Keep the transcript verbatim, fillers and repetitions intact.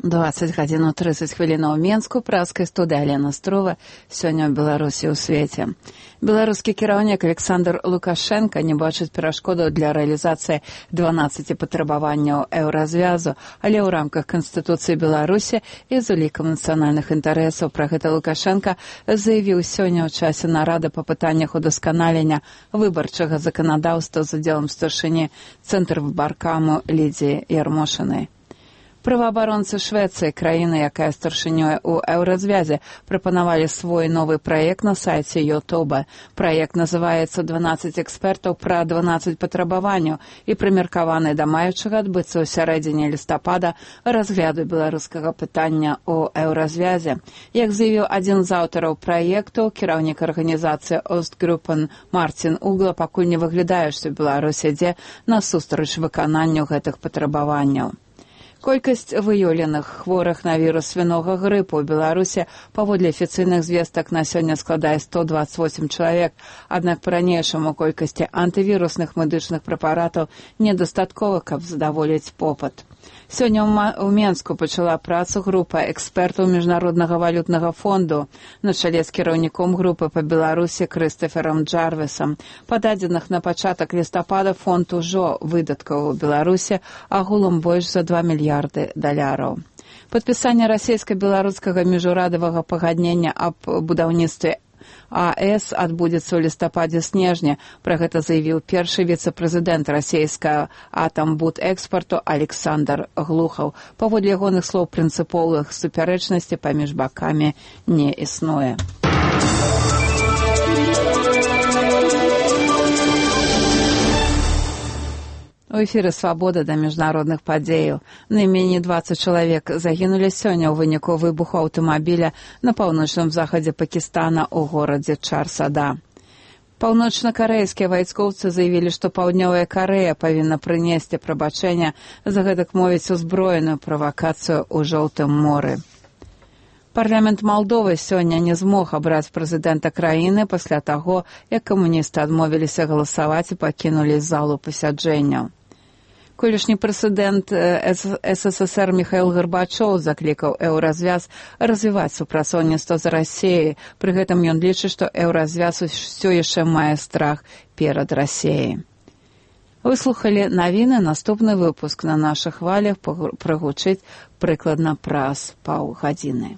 двадцать гадзін тридцать хвілінаў Менску, праскай студыі Алена Строва. Сёння ў Беларусі ў свеце. Беларускі кіраўнік Александр Лукашенко не бачыць перашкодаў для рэалізацыі дванаццаці патрабаванняў еўразвязу, але ў рамках Канстытуцыі Беларусі і з улікам нацыянальных інтарэсаў. Пра гэта Лукашенко заявіў сёння ў часе нарады па пытаннях удасканалення выбарчага заканадаўства з удзелам старшыні Цэнтрвыбаркаму Лідзіі Ярмошынай. Праваабаронцы Швецыі, краіны, якая старшынёй у еўразвязе, прапанавалі свой новы праект на сайце Ютуба. Праект называецца «дванаццаць экспертаў пра дванаццаць патрабаванняў» і прымеркаваны да маючага адбыцца ў сярэдзіне лістапада разгляду беларускага пытання ў еўразвязе. Як заявіў адзін з аўтараў праекту, кіраўнік арганізацыі «Остгруппен» Мартин Угла, пакуль не выглядае, што Беларусь ідзе насустрач выкананню гэтых патрабаванняў. Колькасць выяўленых хворых на вірус свінога грыпу ў Беларусі паводле афіцыйных звестак на сёння складае сто дваццаць восем чалавек, аднак па-ранейшаму колькасці антывірусных медычных прэпаратаў недастаткова, каб задаволіць попыт. Сёння ў Менску пачала працу група экспертаў Міжнароднага валютнага фонду на чале з кіраўніком групы па Беларусі Крыстаферам Джарвісам. Па дадзеных на пачатак лістапада фонд ужо выдаткаў у Беларусі агулам больш за два мільярды даляраў. Падпісанне расійска-беларускага міжурадавага пагаднення аб будаўніцтве АЭС адбудзецца ў лістападзе-снежні. Пра гэта заявіў першы віцэ-прэзідэнт расійскага атамбудэкспарту Александр Глухаў. Паводле ягоных слоў, прынцыповых супярэчнасцей паміж бакамі не існуе. У эфіры «Свабода» да міжнародных падзеяў. Найменей дваццаць чалавек загінулі сёння ў выніку выбуху аўтамабіля на паўночным захадзе Пакістана ў горадзе Чар-Сада. Паўночна-карэйскія вайскоўцы заявілі, што Паўднёвая Карэя павінна прынесці прабачэнне за гэтак мовіць узброеную правакацыю ў Жоўтым моры. Парламент Малдовы сёння не змог абраць прэзідэнта краіны пасля таго, як камуністы адмовіліся галасаваць і пакінулі залу пасяджэнняў. Колішні прэзідэнт СССР Міхаіл Гарбачоў заклікаў еўразвяз развіваць супрацоўніцтва з Расіяй. Пры гэтым ён лічыць, што еўразвяз усё яшчэ мае страх перад Расіяй. Выслухалі навіны, наступны выпуск на нашых хвалях прагучыць прыкладна праз паўгадзіны.